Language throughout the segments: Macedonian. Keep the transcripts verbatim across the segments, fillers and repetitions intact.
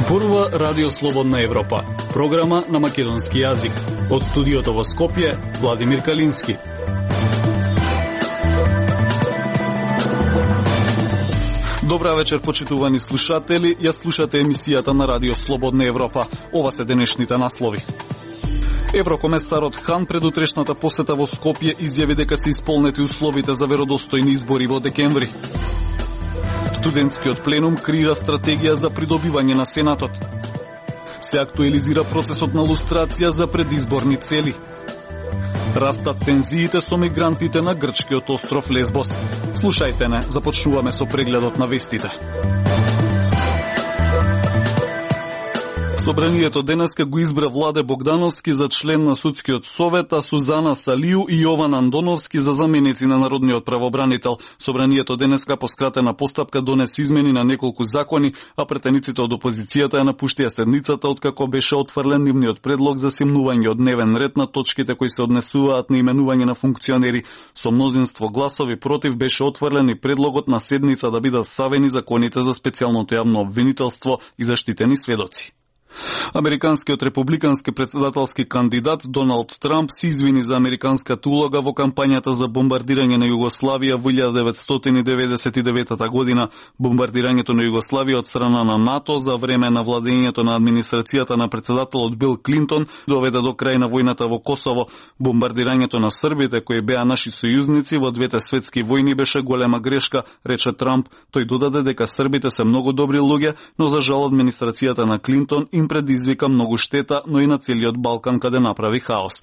Зборува Радио Слободна Европа, програма на македонски јазик. Од студиото во Скопје, Владимир Калински. Добра вечер, почитувани слушатели. Ја слушате емисијата на Радио Слободна Европа. Ова се денешните наслови. Еврокомесарот Хан пред утрешната посета во Скопје изјави дека се исполнети условите за веродостојни избори во декември. Студентскиот пленум креира стратегија за придобивање на Сенатот. Се актуализира процесот на лустрација за предизборни цели. Растат тензиите со мигрантите на грчкиот остров Лесбос. Слушајте не, започнуваме со прегледот на вестите. Собранието денеска го избра Владе Богдановски за член на Судскиот совет, а Сузана Салију и Јован Андоновски за заменици на народниот правобранител. Собранието денеска по скратена постапка донесе измени на неколку закони, а претениците од опозицијата ја напуштија седницата откако беше отфрлен нивниот предлог за симнување од дневен ред на точките кои се однесуваат на именување на функционери. Со мнозинство гласови против беше отфрлен и предлогот на седница да бидат савени законите за специјалното јавно обвинителство и заштитени сведоци. Американскиот републикански председателски кандидат Доналд Трамп се извини за американската улога во кампањата за бомбардирање на Југославија во илјада деветстотини деветдесет и девета година. Бомбардирањето на Југославија од страна на НАТО за време на владењето на администрацијата на председателот Бил Клинтон доведе до крај на војната во Косово. Бомбардирањето на србите, кои беа наши сојузници во двете светски војни, беше голема грешка, рече Трамп. Тој додаде дека србите се многу добри луѓе, но за жал администрацијата на Клинтон им предизвика многу штета, но и на целиот Балкан каде направи хаос.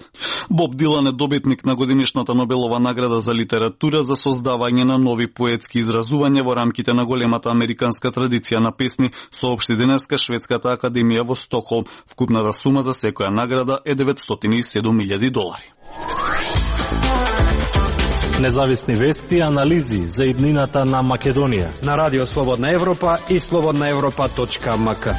Боб Дилан е добитник на годинишната Нобелова награда за литература за создавање на нови поетски изразувања во рамките на големата американска традиција на песни, соопшти денеска Шведската академија во Стокхолм. Вкупната сума за секоја награда е деветстотини и седум илјади долари. Независни вести и анализи за иднината на Македонија на Радио Слободна Европа и слободна европа точка ем ка.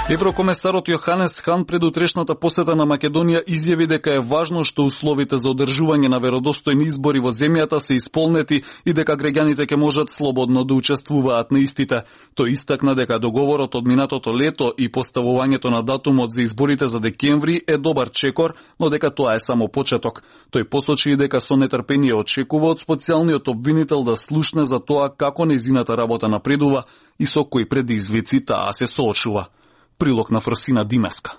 Еврокомесарот Јоханес Хан пред утрешната посета на Македонија изјави дека е важно што условите за одржување на веродостојни избори во земјата се исполнети и дека граѓаните ќе можат слободно да учествуваат на истите. Тој истакна дека договорот од минатото лето и поставувањето на датумот за изборите за декември е добар чекор, но дека тоа е само почеток. Тој посочи и дека со нетрпение очекува од специјалниот обвинител да слушне за тоа како нејзината работа напредува и со кои предизвици таа се соочува. Прилог на Фросина Димеска.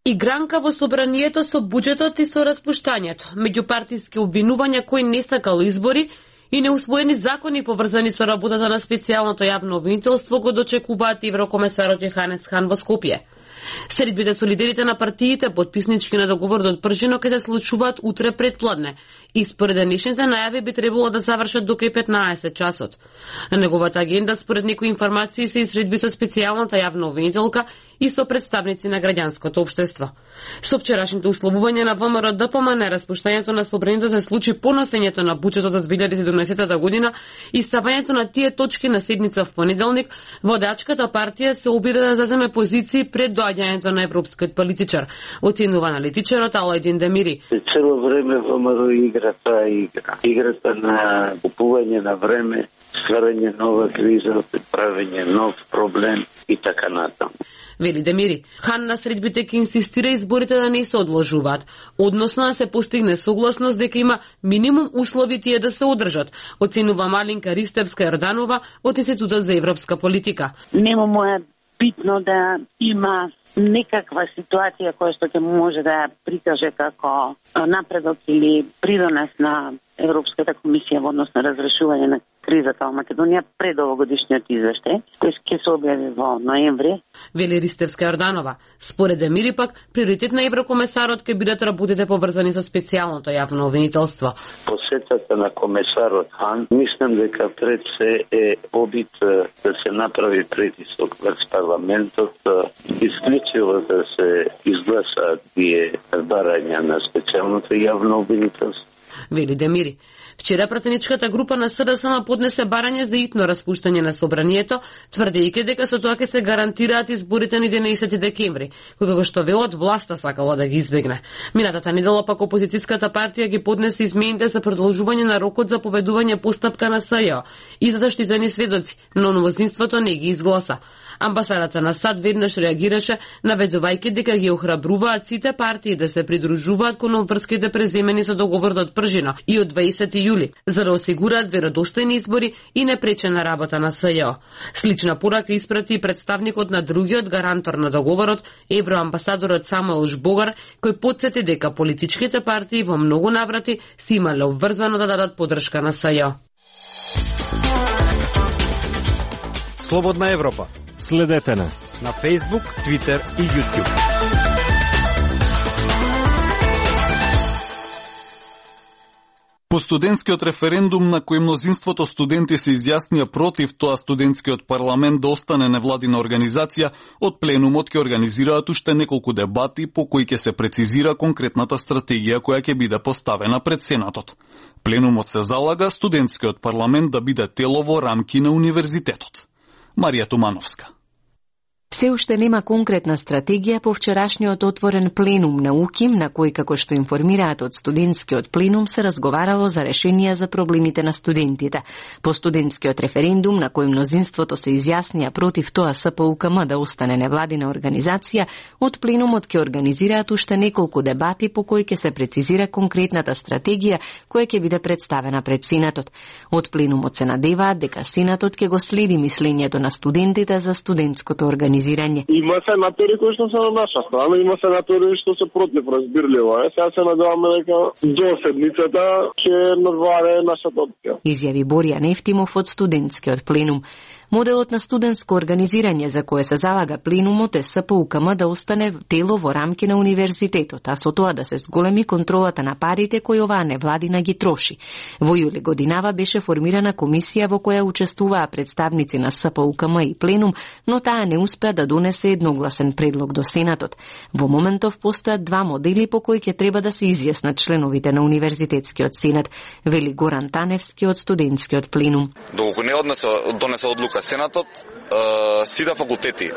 Игранка во собранието со буџетот и со распуштањето, меѓупартиски обвинувања кои не сакал избори и неусвоени закони поврзани со работата на специјалното јавно обвинителство го дочекуваат еврокомесарот Јоханес Хан во Скопје. Средбите со лидерите на партиите потписнички на договорот од Пржино ќе се случуваат утре предпладне и според денешните најави би требало да завршат до кај петнаесет часот. На неговата агенда според некои информации се и средби со специјалната јавна обвинителка и со представници на граѓанското општество. Со вчерашните условувања на ВМРО ДПМН распуштањето на собранието се случи по носењето на буџетот за две илјади и седумнаесета година и ставањето на тие точки на седница в понеделник, водачката партија се обиде да заземе позиции пред доаѓањето на европскиот политичар, оценува аналитичарот Алајдин Демири. Цело време ВМРО игра таа игра. Играта на купување на време, стварање нова криза, правење нов проблем и така натаму. Вели Демири. Хан на средбите ќе инсистира изборите да не се одложуваат, односно да се постигне согласност дека има минимум услови тие да се одржат, оценува Малинка Ристевска-Јорданова од Институтот за европска политика. Нема му е битно да има некаква ситуација која што ќе може да ја прикаже како напредок или придонес на Европската комисија во однос на разрешување на кризата во Македонија пред овогодишниот извештај, кој ќе се објави во ноември. Вели Ристевска-Јорданова. Според Емири пак, приоритет на еврокомесарот ќе бидат работите поврзани со специјалното јавно обвинителство. Посетата на комесарот Хан, мислам дека пред се е обид да се направи притисок врз парламентот, исклучиво да се изгласаат тие барања на специјалното јавно обвинителство. Вели Демири. Вчера пратеничката група на СДСМ поднесе барање за итно распуштање на собранието, тврдејќи дека со тоа ќе се гарантираат изборите на единаесети декември, кои како што велат власта сакала да ги избегне. Минатата недела пак опозицијската партија ги поднесе измените за продолжување на рокот за поведување постапка на СЈО и за заштитени сведоци, но мнозинството не ги изгласа. Амбасадата на САД веднаш реагираше, наведувајќи дека ги охрабруваат сите партии да се придружуваат кон обврските преземени со договорот од Пржина и од дваесети јули, за да осигураат веродостојни избори и непречена работа на СЈО. Слична порака испрати и представникот на другиот гарантор на договорот, евроамбасадорот Самуел Жбогар, кој потсети дека политичките партии во многу наврати си имале обврзано да дадат поддршка на СЈО. Слободна Европа. Следете на на Facebook, Twitter и YouTube. По студентскиот референдум на кој мнозинството студенти се изјаснија против тоа студентскиот парламент да остане невладина организација, од пленумот ќе организираат уште неколку дебати по кои ќе се прецизира конкретната стратегија која ќе биде поставена пред Сенатот. Пленумот се залага студентскиот парламент да биде тело во рамки на универзитетот. Марија Тумановска. Се уште нема конкретна стратегија по вчерашниот отворен пленум на УКИМ, на кој, како што информираат од студентскиот пленум, се разговарало за решенија за проблемите на студентите. По студентскиот референдум, на кој мнозинството се изјаснија против тоа СПУКМ да остане невладина организација, од пленумот ќе организираат уште неколку дебати по кои ќе се прецизира конкретната стратегија која ќе биде представена пред Сенатот. Од пленумот се надеваат дека Сенатот ќе го следи мислењето на студентите за студентското организирање. Има сенатори кои што се на наша страна, има сенатори што се против, разбирливо е. Сега се надеваме дека до седмицата ќе наваре нашата опција. Изјави Борија Нефтимов од студентскиот пленум. Моделот на студентско организирање за кое се залага пленумот е СПУКМ да остане тело во рамки на универзитетот, а со тоа да се зголеми контролата на парите кои оваа невладина ги троши. Во јули годинава беше формирана комисија во која учествуваа представници на СПУКМ и пленум, но таа не успеа да донесе едногласен предлог до Сенатот. Во моментов постојат два модели по кои ќе треба да се изјаснат членовите на Универзитетскиот сенат, вели Горан Таневски од студентскиот пленум. Доколку не однесе донесе одлука Сенатот, сите факултети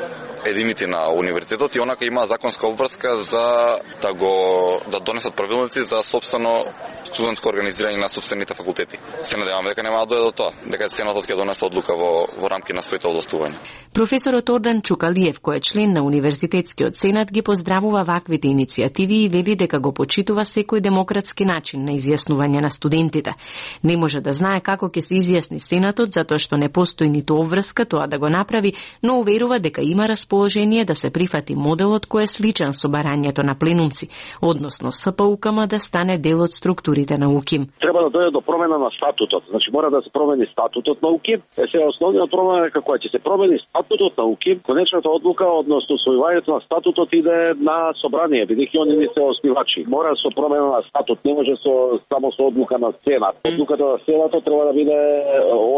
единици на универзитетот и онака има законска обврска за да го да донесат правилници за сопствено студентско организирање на сопствените факултети. Се надеваме дека нема да дојде до тоа, дека Сенатот ќе донесе одлука во во рамки на своите овластувања. Професорот Ордан Чукалиев, кој е член на Универзитетскиот сенат, ги поздравува ваквите иницијативи и вели дека го почитува секој демократски начин на изјаснување на студентите. Не може да знае како ќе се изјасни Сенатот затоа што не постои ниту обврска тоа да го направи, но уверува дека има расположение да се прифати моделот кој е сличен со барањето на пленумци, односно СПУКМ да стане дел од структурите на УКИМ. Треба да дојде до промена на статутот. Значи мора да се промени статутот на УКИМ. Е сега основниот промена е како ќе се промени статутот на УКИМ. Конечната одлука односно усвојувањето на статутот иде на собрание, бидејќи они не се основачи. Мора со промена на статут, не може со само со одлука на Сенат. Одлуката на Сенатот треба да биде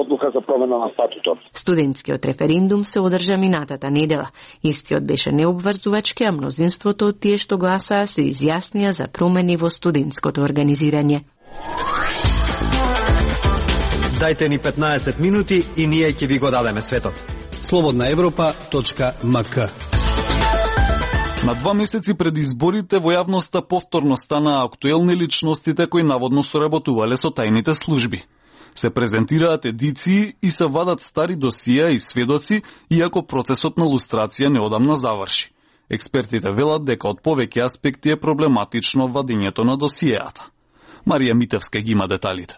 одлука за промена на статутот. Студентскиот референдум се одржа минатата недела. Истиот беше необврзувачки, а мнозинството од тие што гласаа се изјаснија за промени во студентското организирање. Дајте ни петнаесет минути и ние ќе ви го дадеме светот. слободна европа точка ем ка. На два месеци пред изборите во јавноста повторно станаа актуелни личностите кои наводно соработувале со тајните служби. Се презентираат едиции и се вадат стари досија и сведоци, иако процесот на лустрација неодамна заврши. Експертите велат дека од повеќе аспекти е проблематично вадењето на досијата. Марија Митевска ги има деталите.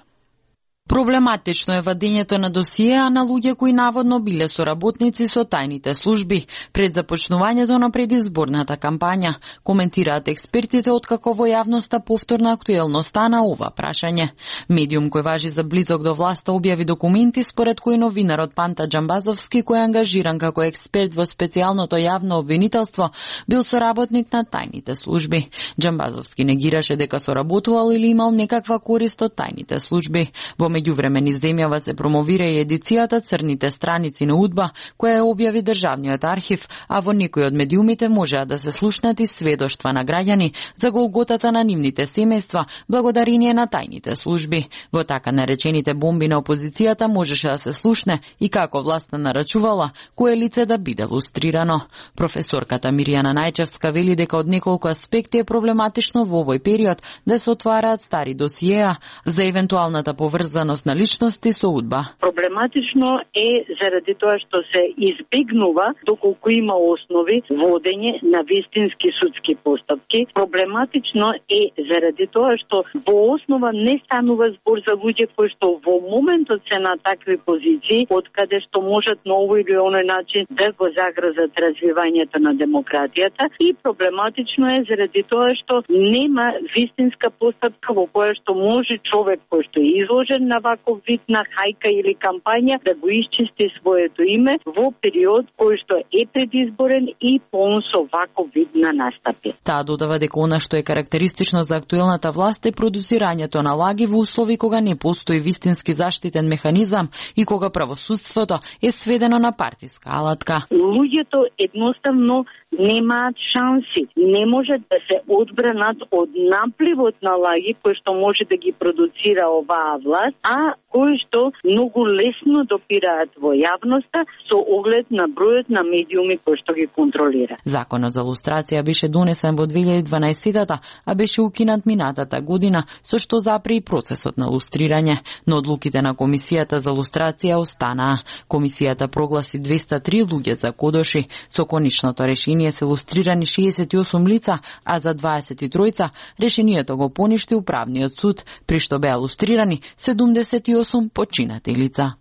Проблематично е вадењето на досиеа на луѓе кои наводно биле соработници со тајните служби пред започнувањето на предизборната кампања, коментираат експертите откако во јавноста повторна актуелно стана ова прашање. Медиум кој важи за близок до власта објави документи според кои новинарот Панта Джамбазовски, кој е ангажиран како експерт во специјалното јавно обвинителство, бил соработник на тајните служби. Джамбазовски негираше дека соработувал или имал некаква корист од тајните служби. Во меѓувреме низ земјава се промовира и едицијата Црните страници на УДБА, која ја објави државниот архив, а во некои од медиумите можеа да се слушнат и сведоштва на граѓани за голготата на нивните семејства благодарение на тајните служби. Во така наречените бомби на опозицијата можеше да се слушне и како власта нарачувала кое лице да биде лустрирано. Професорката Миријана Најчевска вели дека од неколку аспекти е проблематично во овој период да се отвараат стари досиеа за евентуалната поврзаност поврзаност на личности со удба. Проблематично е заради тоа што се избегнува доколку има основи водење на вистински судски постапки. Проблематично е заради тоа што во основа не станува збор за луѓе кои што во моментот се на такви позиции, од каде што можат на овој или оној начин да го загрозат развивањето на демократијата, и проблематично е заради тоа што нема вистинска постапка во која што може човек кој што е изложен на ваков вид на хајка или кампања да го исчисти своето име во период кој што е предизборен и полн со ваков вид на настапи. Таа додава дека она што е карактеристично за актуелната власт е продуцирањето на лаги во услови кога не постои вистински заштитен механизам и кога правосудството е сведено на партиска алатка. Луѓето едноставно немаат шанси, не можат да се одбранат од напливот на лаги кој што може да ги продуцира оваа власт, а кои што многу лесно допираат во јавноста со оглед на бројот на медиуми кои што ги контролира. Законот за лустрација беше донесен во две илјади и дванаесетта, а беше укинат минатата година, со што запре и процесот на лустрирање, но одлуките на Комисијата за лустрација останаа. Комисијата прогласи двеста и три луѓе за кодоши, со конечното решение се лустрирани шеесет и осум лица, а за дваесет и тројца решението го поништи управниот суд, при што беа лустрирани седумдесет и осум починати лица.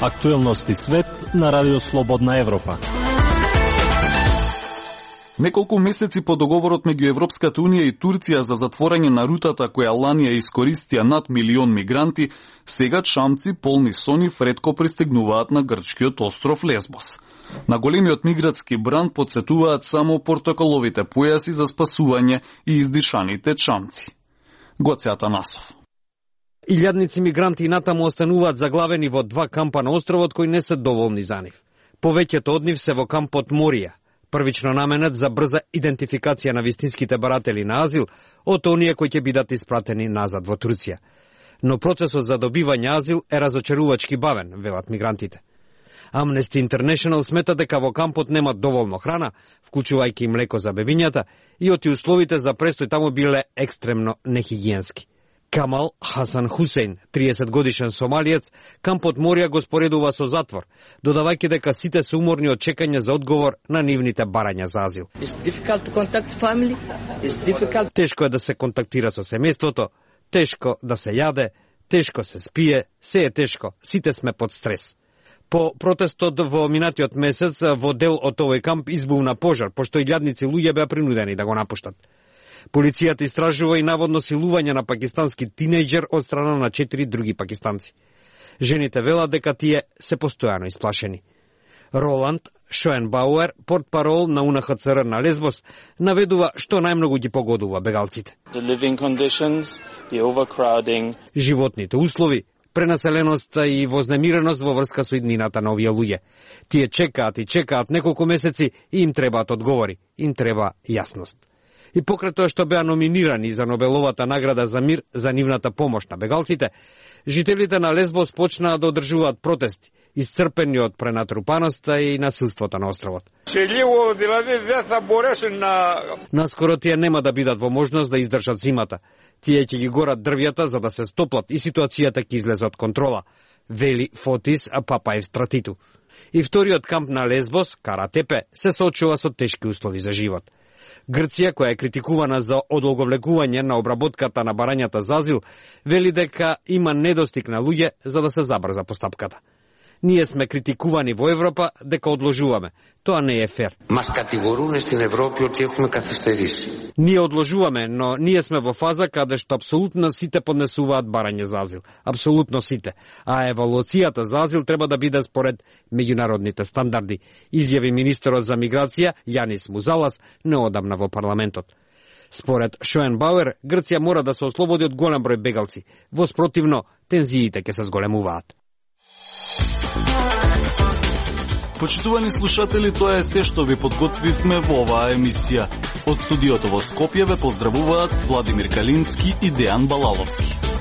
Актуелности свет на Радио Слободна Европа. Неколку месеци по договорот меѓу Европската унија и Турција за затворање на рутата која лани ја искористија над милион мигранти, сега чамци полни со нив ретко пристигнуваат на грчкиот остров Лесбос. На големиот мигратски бран подсетуваат само портокаловите појаси за спасување и издишаните чамци. Гоце Атанасов. Илјадници мигранти натаму остануваат заглавени во два кампа на островот кои не се доволни за нив. Повеќето од нив се во кампот Морија, првично наменет за брза идентификација на вистинските баратели на азил од оние кои ќе бидат испратени назад во Турција. Но процесот за добивање азил е разочарувачки бавен, велат мигрантите. Amnesty International смета дека во кампот нема доволно храна, вклучувајќи и млеко за бебињата, и оти условите за престој таму биле екстремно нехигиенски. Камал Хасан Хусейн, триесет годишен сомалиец, кампот Морија го споредува со затвор, додавајќи дека сите се уморни од чекање за одговор на нивните барања за азил. Тешко е да се контактира со семејството, тешко да се јаде, тешко се спие, се е тешко, сите сме под стрес. По протестот во минатиот месец во дел од овој камп избувна пожар, пошто илјадници луѓе беа принудени да го напуштат. Полицијата истражува и наводно силување на пакистански тинејџер од страна на четири други пакистанци. Жените велат дека тие се постојано исплашени. Роланд Шоенбауер, портпарол на У Н Х Ц Р на Лесбос, наведува што најмногу ги погодува бегалците. Животните услови, пренаселеноста и вознемиреност во врска со иднината на овие луѓе. Тие чекаат и чекаат неколку месеци и им требаат одговори, им треба јасност. И покрај тоа што беа номинирани за Нобеловата награда за мир за нивната помош на бегалците, жителите на Лесбос почнаа да одржуваат протести, исцрпени од пренатрупаноста и насилството на островот. Наскоро тие нема да бидат во можност да издржат зимата. Тие ќе ги горат дрвјата за да се стоплат и ситуацијата ќе излезе од контрола, вели Фотис Папаев Стратиту. И вториот камп на Лесбос, Каратепе, се соочува со тешки услови за живот. Грција, која е критикувана за одолговлекување на обработката на барањата за азил, вели дека има недостиг на луѓе за да се забрза постапката. Ние сме критикувани во Европа дека одложуваме. Тоа не е фер. Μας κατηγορούν στην Ευρώπη ότι έχουμε καθυστερήσει. Ние одложуваме, но ние сме во фаза каде што апсолутно сите поднесуваат барање за азил. Апсолутно сите. А евалуацијата за азил треба да биде според меѓународните стандарди, изјави министерот за миграција Јанис Музалас неодамна во парламентот. Според Шоенбауер, Грција мора да се ослободи од голем број бегалци. Во спротивно, тензиите ќе се зголемуваат. Почитувани слушатели, тоа е се што ви подготвивме во оваа емисија. Од студиото во Скопје ве поздравуваат Владимир Калински и Дејан Балаловски.